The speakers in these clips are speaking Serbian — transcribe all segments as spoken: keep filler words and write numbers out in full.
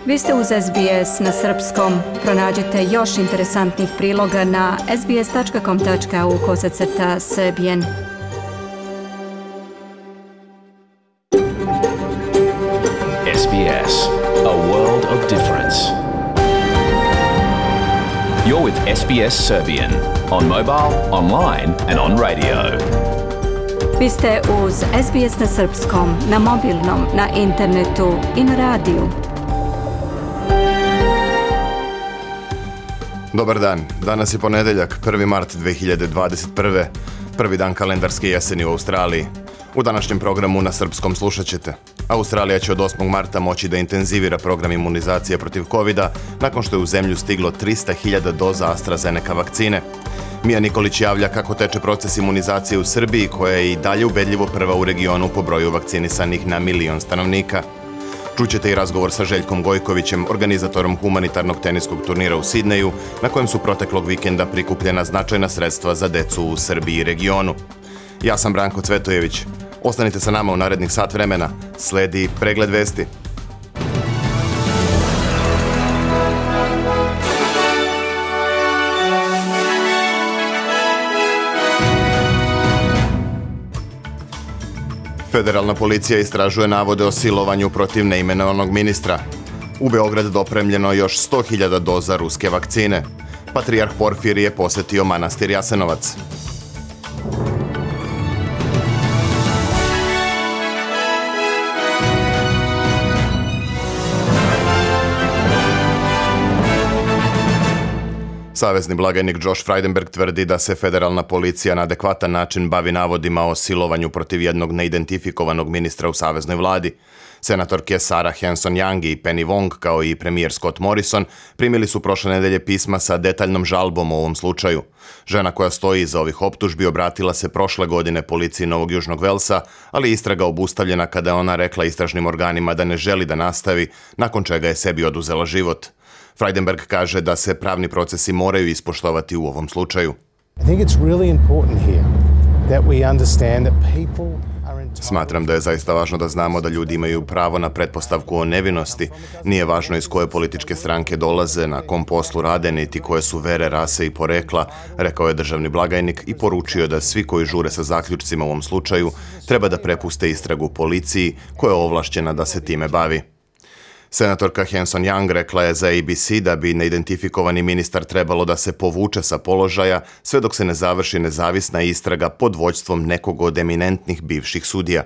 Vi ste uz S B S na srpskom. Pronađite još interesantnih priloga na sbs.com.au kosacrta srbijen. S B S, a world of difference. You're with S B S Serbian on mobile, online and on radio. Vi ste uz S B S na srpskom, na mobilnom, na internetu i na radiju. Dobar dan, danas je ponedeljak, prvi mart dve hiljade dvadeset prve, prvi dan kalendarske jeseni u Australiji. U današnjem programu na srpskom slušat ćete. Australija će od osmog marta moći da intenzivira program imunizacije protiv kovida nakon što je u zemlju stiglo trista hiljada doza AstraZeneca vakcine. Mija Nikolić javlja kako teče proces imunizacije u Srbiji, koja je i dalje ubedljivo prva u regionu po broju vakcinisanih na milion stanovnika. Čućete i razgovor sa Željkom Gojkovićem, organizatorom humanitarnog teniskog turnira u Sidneju, na kojem su proteklog vikenda prikupljena značajna sredstva za decu u Srbiji i regionu. Ja sam Branko Cvetojević. Ostanite sa nama u narednih sat vremena. Sledi pregled vesti. Federalna policija istražuje navode o silovanju protiv neimenovanog ministra. U Beograd dopremljeno još sto hiljada doza ruske vakcine. Patrijarh Porfirije posetio manastir Jasenovac. Savezni blagajnik Josh Frydenberg tvrdi da se federalna policija na adekvatan način bavi navodima o silovanju protiv jednog neidentifikovanog ministra u saveznoj vladi. Senatorke Sarah Hanson-Young i Penny Wong, kao i premijer Scott Morrison, primili su prošle nedelje pisma sa detaljnom žalbom o ovom slučaju. Žena koja stoji iza ovih optužbi obratila se prošle godine policiji Novog Južnog Velsa, ali istraga obustavljena kada je ona rekla istražnim organima da ne želi da nastavi, nakon čega je sebi oduzela život. Frydenberg kaže da se pravni procesi moraju ispoštovati u ovom slučaju. Smatram da je zaista važno da znamo da ljudi imaju pravo na pretpostavku o nevinosti. Nije važno iz koje političke stranke dolaze, na kom poslu rade, niti koje su vere, rase i porekla, rekao je državni blagajnik i poručio da svi koji žure sa zaključcima u ovom slučaju treba da prepuste istragu policiji, koja je ovlašćena da se time bavi. Senatorka Hanson-Young rekla je za A B C da bi neidentifikovani ministar trebalo da se povuče sa položaja sve dok se ne završi nezavisna istraga pod vođstvom nekog od eminentnih bivših sudija.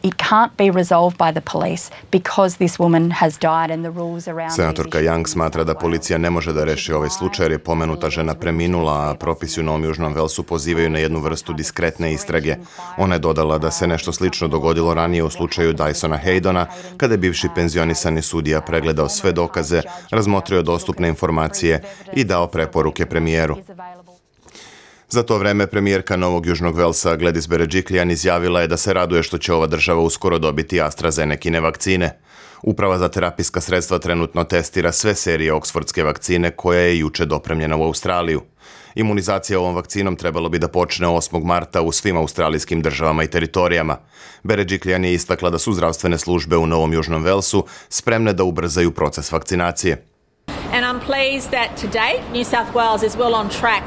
It can't be resolved by the police because this woman has died and the rules around. Senatorka Young smatra da policija ne može da reši ovaj slučaj jer je pomenuta žena preminula, a propisi u Novom Južnom Velsu pozivaju na jednu vrstu diskretne istrage. Ona je dodala da se nešto slično dogodilo ranije u slučaju Dysona Haydona, kada je bivši penzionisani sudija pregledao sve dokaze, razmotrio dostupne informacije i dao preporuke premijeru. Za to vreme premijerka Novog Južnog Velsa Gladys Berejiklian izjavila je da se raduje što će ova država uskoro dobiti AstraZenecine vakcine. Uprava za terapijska sredstva trenutno testira sve serije oksfordske vakcine koja je juče dopremljena u Australiju. Imunizacija ovom vakcinom trebalo bi da počne osmog marta u svim australijskim državama i teritorijama. Berejiklian je istakla da su zdravstvene službe u Novom Južnom Velsu spremne da ubrzaju proces vakcinacije. And I'm pleased that to date New South Wales is well on track.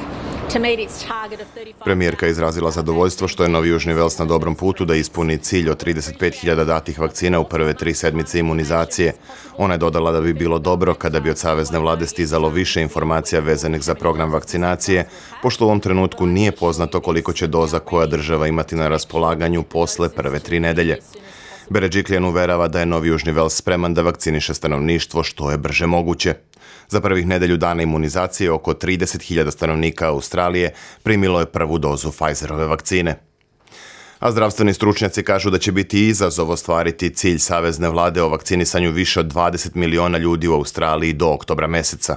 Premijerka je izrazila zadovoljstvo što je Novi Južni Vels na dobrom putu da ispuni cilj od trideset pet hiljada datih vakcina u prve tri sedmice imunizacije. Ona je dodala da bi bilo dobro kada bi od savezne vlade stizalo više informacija vezanih za program vakcinacije, pošto u ovom trenutku nije poznato koliko će doza koja država imati na raspolaganju posle prve tri nedelje. Berejiklian uverava da je Novi Južni Vels spreman da vakciniše stanovništvo što je brže moguće. Za prvih nedelju dana imunizacije oko trideset hiljada stanovnika Australije primilo je prvu dozu Pfizerove vakcine. A zdravstveni stručnjaci kažu da će biti izazov ostvariti cilj savezne vlade o vakcinisanju više od dvadeset miliona ljudi u Australiji do oktobra meseca.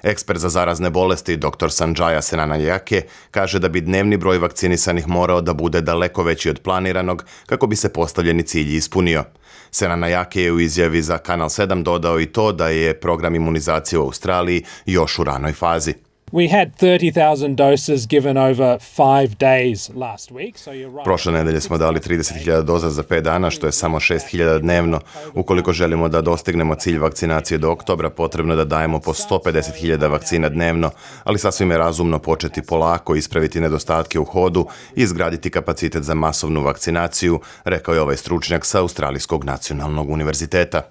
Ekspert za zarazne bolesti doktor Sanjaya Senanayake kaže da bi dnevni broj vakcinisanih morao da bude daleko veći od planiranog kako bi se postavljeni cilj ispunio. Senanayake je u izjavi za Kanal sedam dodao i to da je program imunizacije u Australiji još u ranoj fazi. We had thirty thousand doses given over five days last week, so you're right. Prošle nedelje smo dali trideset hiljada doza za pet dana, što je samo šest hiljada dnevno. Ukoliko želimo da dostignemo cilj vakcinacije do oktobra, potrebno je da dajemo po sto pedeset hiljada vakcina dnevno, ali sasvim je razumno početi polako, ispraviti nedostatke u hodu i izgraditi kapacitet za masovnu vakcinaciju, rekao je ovaj stručnjak sa Australijskog nacionalnog univerziteta.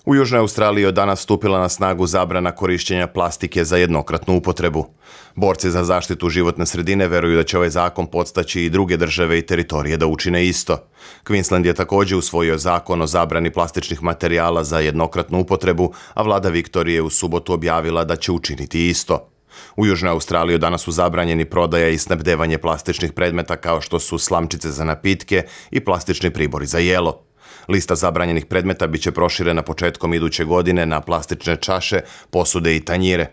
U Južnoj Australiji od danas stupila na snagu zabrana korišćenja plastike za jednokratnu upotrebu. Borci za zaštitu životne sredine veruju da će ovaj zakon podstaći i druge države i teritorije da učine isto. Queensland je također usvojio zakon o zabrani plastičnih materijala za jednokratnu upotrebu, a vlada Viktorije u subotu objavila da će učiniti isto. U Južnoj Australiji danas su zabranjeni prodaja i snabdevanje plastičnih predmeta kao što su slamčice za napitke i plastični pribori za jelo. Lista zabranjenih predmeta biće proširena početkom iduće godine na plastične čaše, posude i tanjire.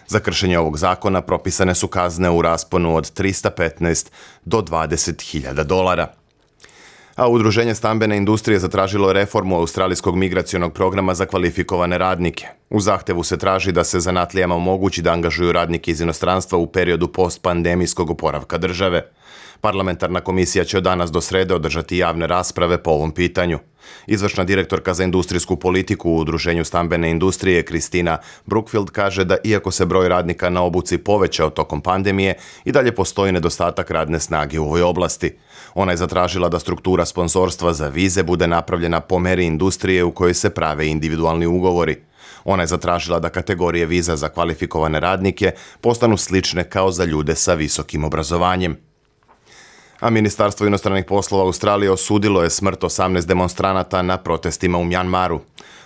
Za kršenje ovog zakona propisane su kazne u rasponu od trista petnaest do dvadeset hiljada dolara. A Udruženje stambene industrije zatražilo reformu australijskog migracionog programa za kvalifikovane radnike. U zahtevu se traži da se zanatlijama omogući da angažuju radnike iz inostranstva u periodu postpandemijskog oporavka države. Parlamentarna komisija će od danas do srede održati javne rasprave po ovom pitanju. Izvršna direktorka za industrijsku politiku u Udruženju stambene industrije Kristina Brookfield kaže da iako se broj radnika na obuci povećao tokom pandemije, i dalje postoji nedostatak radne snage u ovoj oblasti. Ona je zatražila da struktura sponzorstva za vize bude napravljena po meri industrije u kojoj se prave individualni ugovori. Ona je zatražila da kategorije viza za kvalifikovane radnike postanu slične kao za ljude sa visokim obrazovanjem. A Ministarstvo inostranih poslova Australije osudilo je smrt osamnaest demonstranata na protestima u Mjanmaru.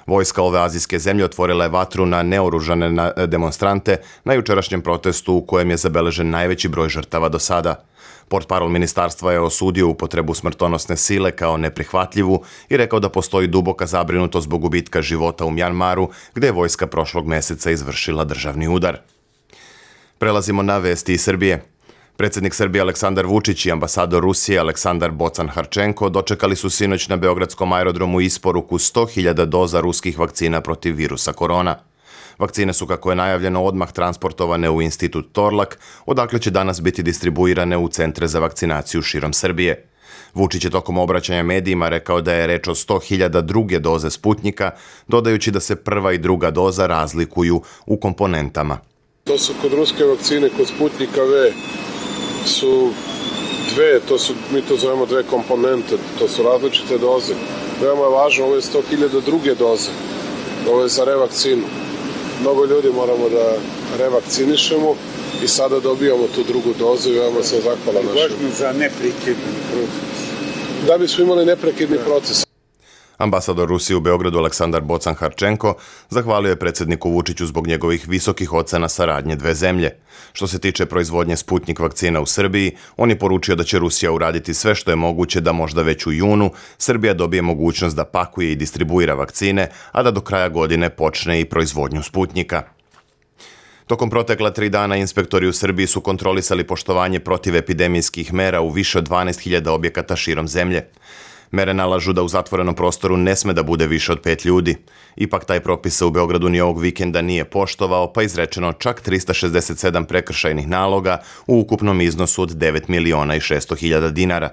Vojska ove azijske zemlje otvorila je vatru na neoružane demonstrante na jučerašnjem protestu u kojem je zabeležen najveći broj žrtava do sada. Portparol ministarstva je osudio upotrebu smrtonosne sile kao neprihvatljivu i rekao da postoji duboka zabrinutost zbog gubitka života u Mjanmaru, gdje je vojska prošlog mjeseca izvršila državni udar. Prelazimo na vesti iz Srbije. Predsjednik Srbije Aleksandar Vučić i ambasador Rusije Aleksandar Bocan-Harčenko dočekali su sinoć na beogradskom aerodromu isporuku sto hiljada doza ruskih vakcina protiv virusa korona. Vakcine su, kako je najavljeno, odmah transportovane u institut Torlak, odakle će danas biti distribuirane u centre za vakcinaciju širom Srbije. Vučić je tokom obraćanja medijima rekao da je reč o sto hiljada druge doze Sputnjika, dodajući da se prva i druga doza razlikuju u komponentama. To su kod ruske vakcine, kod Sputnjika V, su dve, to su, mi to zovemo dve komponente, to su različite doze. Veoma je važno, ovo je sto hiljada druge doze, ovo je za revakcinu. Mnogo ljudi moramo da revakcinišemo i sada dobijamo tu drugu dozu i veoma sam zahvalan našem. Važno za neprekidni proces. Da bismo imali neprekidni proces. Ambasador Rusije u Beogradu Aleksandar Bocan-Harčenko zahvalio je predsjedniku Vučiću zbog njegovih visokih ocena saradnje dve zemlje. Što se tiče proizvodnje Sputnjik vakcina u Srbiji, on je poručio da će Rusija uraditi sve što je moguće da možda već u junu Srbija dobije mogućnost da pakuje i distribuira vakcine, a da do kraja godine počne i proizvodnju Sputnjika. Tokom protekla tri dana inspektori u Srbiji su kontrolisali poštovanje protivepidemijskih mera u više od dvanaest hiljada objekata širom zemlje. Mere nalažu da u zatvorenom prostoru ne sme da bude više od pet ljudi. Ipak taj propis se u Beogradu ni ovog vikenda nije poštovao, pa izrečeno čak trista šezdeset sedam prekršajnih naloga u ukupnom iznosu od devet miliona i šesto hiljada dinara.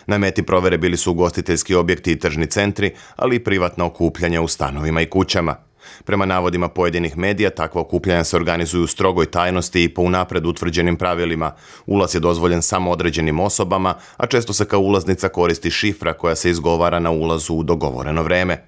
Na meti provere bili su ugostiteljski objekti i tržni centri, ali i privatna okupljanja u stanovima i kućama. Prema navodima pojedinih medija, takva okupljanja se organizuju u strogoj tajnosti i po unapred utvrđenim pravilima. Ulaz je dozvoljen samo određenim osobama, a često se kao ulaznica koristi šifra koja se izgovara na ulazu u dogovoreno vreme.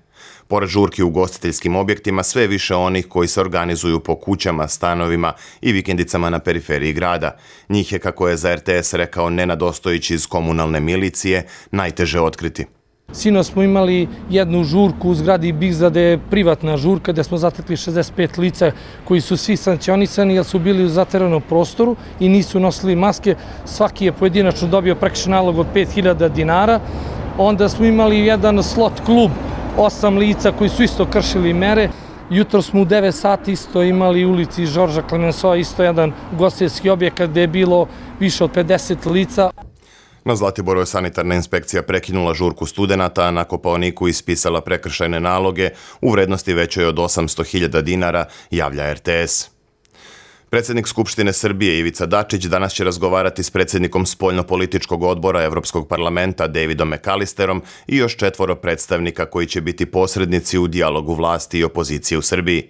Pored žurki u ugostiteljskim objektima, sve više onih koji se organizuju po kućama, stanovima i vikendicama na periferiji grada. Njih je, kako je za R T S rekao Nenad Ostojić iz komunalne milicije, najteže otkriti. Sinoć smo imali jednu žurku u zgradi Bigza, gde je privatna žurka, gde smo zatekli šezdeset pet lica koji su svi sankcionisani jer su bili u zatvorenom prostoru i nisu nosili maske. Svaki je pojedinačno dobio prekršajni nalog od pet hiljada dinara. Onda smo imali jedan slot klub, osam lica koji su isto kršili mere. Jutro smo u devet sati isto imali u ulici Žorža Klemensoa isto jedan ugostiteljski objekat gde je bilo više od pedeset lica. Na Zlatiboru je sanitarna inspekcija prekinula žurku studenata, a na Kopaoniku ispisala prekršajne naloge u vrednosti većoj od osamsto hiljada dinara, javlja R T S. Predsjednik Skupštine Srbije Ivica Dačić danas će razgovarati s predsjednikom spoljnopolitičkog odbora Evropskog parlamenta Davidom McAllisterom i još četvoro predstavnika koji će biti posrednici u dijalogu vlasti i opozicije u Srbiji.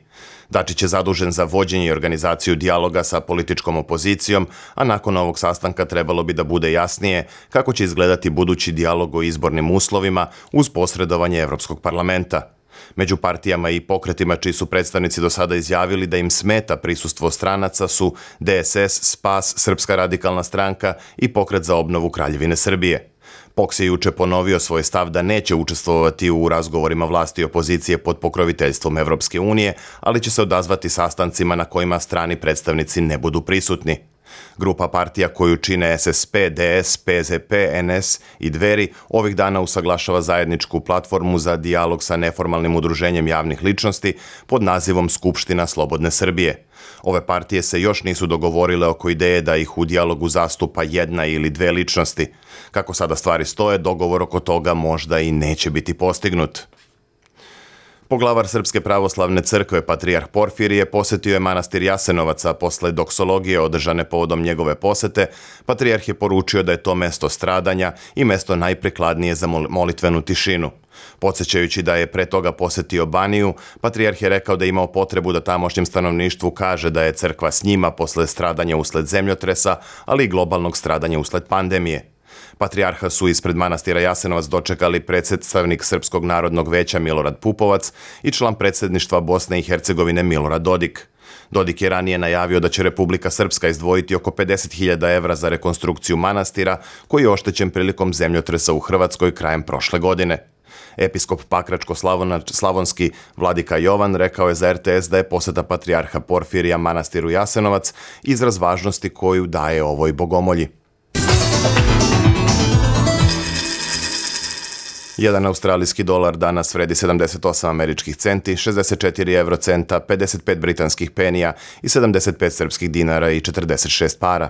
Dačić je zadužen za vođenje i organizaciju dijaloga sa političkom opozicijom, a nakon ovog sastanka trebalo bi da bude jasnije kako će izgledati budući dijalog o izbornim uslovima uz posredovanje Evropskog parlamenta. Među partijama i pokretima čiji su predstavnici do sada izjavili da im smeta prisustvo stranaca su D S S, Spas, Srpska radikalna stranka i Pokret za obnovu Kraljevine Srbije. P O K S je juče ponovio svoj stav da neće učestvovati u razgovorima vlasti i opozicije pod pokroviteljstvom Evropske unije, ali će se odazvati sastancima na kojima strani predstavnici ne budu prisutni. Grupa partija koju čine S S P, D S, P Z P, N S i Dveri ovih dana usaglašava zajedničku platformu za dijalog sa neformalnim udruženjem javnih ličnosti pod nazivom Skupština Slobodne Srbije. Ove partije se još nisu dogovorile oko ideje da ih u dijalogu zastupa jedna ili dve ličnosti. Kako sada stvari stoje, dogovor oko toga možda i neće biti postignut. Poglavar Srpske pravoslavne crkve, patrijarh Porfirije, posjetio je manastir Jasenovac, a posle doksologije održane povodom njegove posete, patrijarh je poručio da je to mesto stradanja i mesto najprikladnije za molitvenu tišinu. Podsjećajući da je pre toga posjetio Baniju, patrijarh je rekao da je imao potrebu da tamošnjem stanovništvu kaže da je crkva s njima posle stradanja usled zemljotresa, ali i globalnog stradanja usled pandemije. Patrijarha su ispred manastira Jasenovac dočekali predstavnik Srpskog narodnog veća Milorad Pupovac i član predsjedništva Bosne i Hercegovine Milorad Dodik. Dodik je ranije najavio da će Republika Srpska izdvojiti oko pedeset hiljada evra za rekonstrukciju manastira koji je oštećen prilikom zemljotresa u Hrvatskoj krajem prošle godine. Episkop Pakračko-slavonski vladika Jovan rekao je za R T S da je poseta patrijarha Porfirija manastiru Jasenovac izraz važnosti koju daje ovoj bogomolji. Jedan australijski dolar danas vredi sedamdeset osam američkih centi, šezdeset četiri evrocenta, pedeset pet britanskih penija i sedamdeset pet srpskih dinara i četrdeset šest para.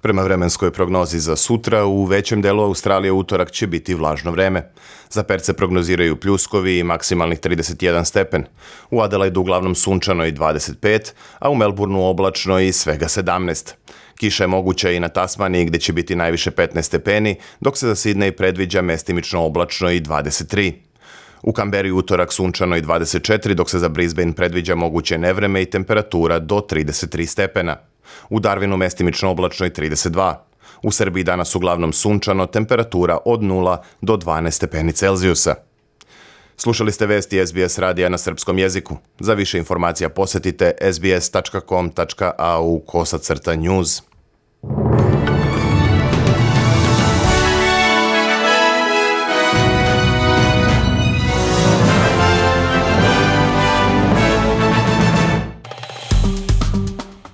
Prema vremenskoj prognozi za sutra, u većem delu Australije utorak će biti vlažno vreme. Za Perth se prognoziraju pljuskovi i maksimalnih trideset jedan stepen. U Adelaidu uglavnom sunčano i dvadeset pet, a u Melbourneu oblačno i svega sedamnaest. Kiša je moguća i na Tasmaniji gdje će biti najviše petnaest stepeni, dok se za Sidney predviđa mestimično oblačno i dvadeset tri. U Kamberi utorak sunčano i dvadeset četiri, dok se za Brisbane predviđa moguće nevreme i temperatura do trideset tri stepena. U Darwinu mestimično oblačno i trideset dva. U Srbiji danas uglavnom sunčano, temperatura od nula do dvanaest stepeni Celzijusa. Slušali ste vesti S B S radija na srpskom jeziku. Za više informacija posjetite s b s tačka com tačka a u kosacrta news.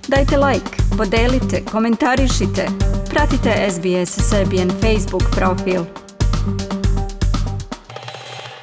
Dajte like, podelite, komentarišite. Pratite S B S Serbian Facebook profil.